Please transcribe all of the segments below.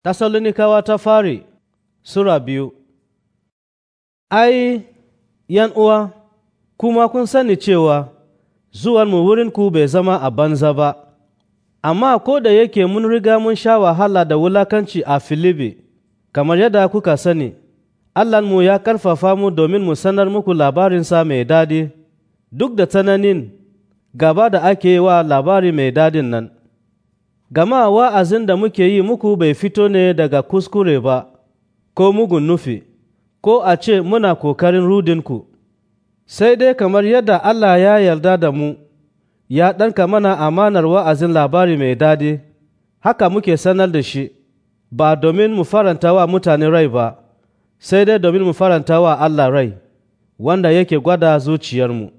Tessalonikawa ta fari Sura 2. Ai, uwa, kuma kun sani cewa zuwanmu wurinku bai zama a banza ba, amma ko da yake mun riga mun sha wahala da wulakanci a Filibi, kamar yadda kuka sani, Allahnmu ya ƙarfafa mu domin mu sanar muku labarinsa mai daɗi, duk da tsananin gaba da ake yi wa labari mai daɗin nan. Gama wa'azin da muke yi muku bai fito ne daga kuskure ba, ko mugun nufi, ko a ce muna ƙoƙarin rudinku, sai dai kamar yadda Allah ya yarda da mu, ya ɗanka mana amanar wa'azin labari mai daɗi, haka muke sanar da shi, ba domin mu faranta wa mutane rai ba, sai dai domin mu faranta wa Allah rai, wanda yake gwada zuciyarmu.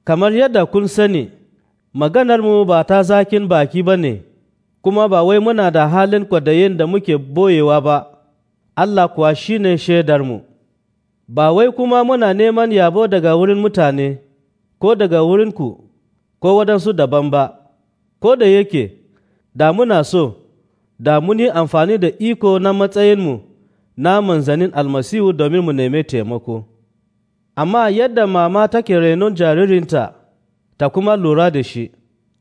Kamar yadda kun sani, maganarmu ba ta zakin baki ba ne, kuma ba wai muna da halin kwadayin da muke boyewa ba, Allah kuwa shi ne shaidarmu. Ba wai kuma muna neman yabo daga wurin mutane, ko daga wurinku, ko waɗansu daban ba, ko da yake, da muna so, da mun yi amfani da iko na matsayinmu na manzannin Almasihu domin mu nemi taimako. Amma yadda mama take renon jaririnta ta kuma lura da shi,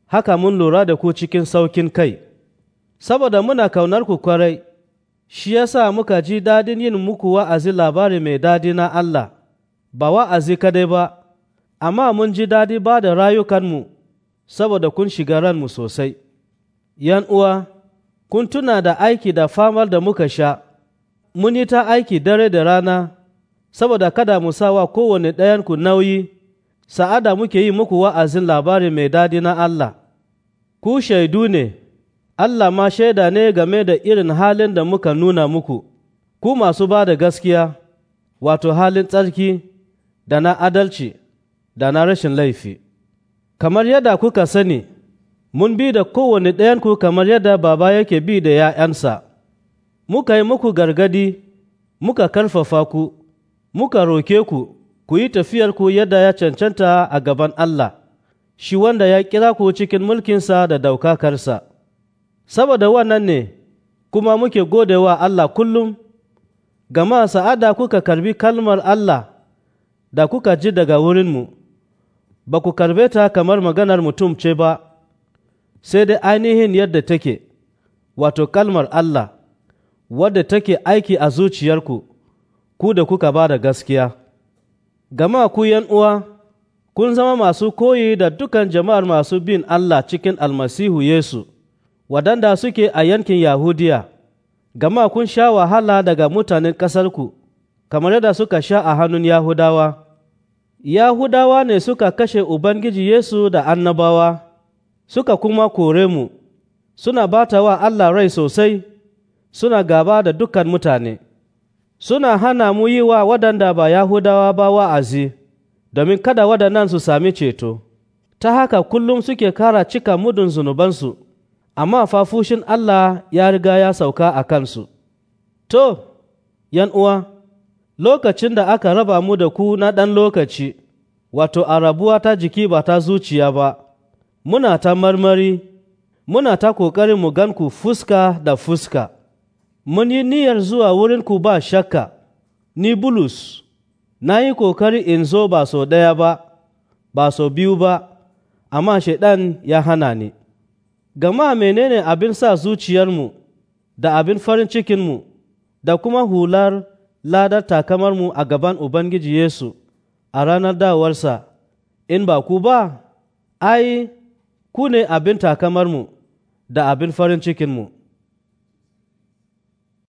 haka mun lura da ku cikin saukin kai. Saboda muna kaunar ku kwarai, shi ya sa muka ji dadin yin muku wa'azi labari mai dadi na Allah, ba wa'azi kadai ba, amma mun ji dadi ba da rayukanmu saboda kun shiga ranmu sosai. ’Yan uwa, kun tuna da aiki da famar da muka sha, mun yi ta aiki dare da rana, saboda kada mu sa wa kowane ɗayanku nauyi, sa'ada muke yi muku wa'azin labari mai dadi na Allah. Ku shaidu ne. Allah ma shaida ne game da irin halin da muka nuna muku, ku masu ba da gaskiya, wato halin tsarki da na adalci da na rashin laifi. Kamar yadda kuka sani, mun bi da kowane ɗayanku kamar yadda baba yake bi da ’ya'yansa. Muka yi muku gargadi, muka karfafa ku, muka roke ku, ku yi tafiyarku yadda ya cancanta a gaban Allah, shi wanda ya kira ku cikin mulkinsa da daukakarsa. Saboda wannan ne kuma muke gode wa Allah kullum, gama sa'ada kuka karbi kalmar Allah da kuka ji daga wurinmu, ba ku karbe ta kamar maganar mutum ce ba, sai dai ainihin yadda take, wato kalmar Allah, wadda take aiki a zuciyarku, ku da kuka ba da gaskiya. Gama ku uwa, kun zama masu koyi da dukan jama'ar masu bin Allah cikin Almasihu Yesu. Waɗanda suke a yankin Yahudiya, gama kun sha wahala daga mutanen ƙasarku, kamar yadda suka sha a hannun Yahudawa. Yahudawa ne suka kashe Ubangiji Yesu da annabawa, suka kuma kore mu, suna bata wa Allah rai sosai, suna gaba da dukan mutane. Suna hana mu yi wa waɗanda ba Yahudawa ba wa'azi, domin kada waɗannan su sami ceto. Ta haka kullum suke kara cika mudun zunubansu. Amma fa fushin Allah ya riga ya sauka a kansu. To, uwa, lokacin da aka raba mu da ku na ɗan lokaci, wato a rabuwa ta jiki ba ta zuciya ba, muna ta marmari, muna ta ƙoƙarin mu gan ku fuska da fuska. Mun yi niyyar zuwa wurinku ba shakka, ni Bulus, na yi ƙoƙari in zo ba sau ɗaya ba, ba sau biyu ba, amma Shaiɗan ya hana ni. Gama menene abin sa zuciyarmu da abin farin cikinmu da kuma hular ladar takamarmu a gaban Ubangiji Yesu a ranar dawowarsa, in ba ku ba, ai, ku ne abin takamarmu da abin farin cikinmu.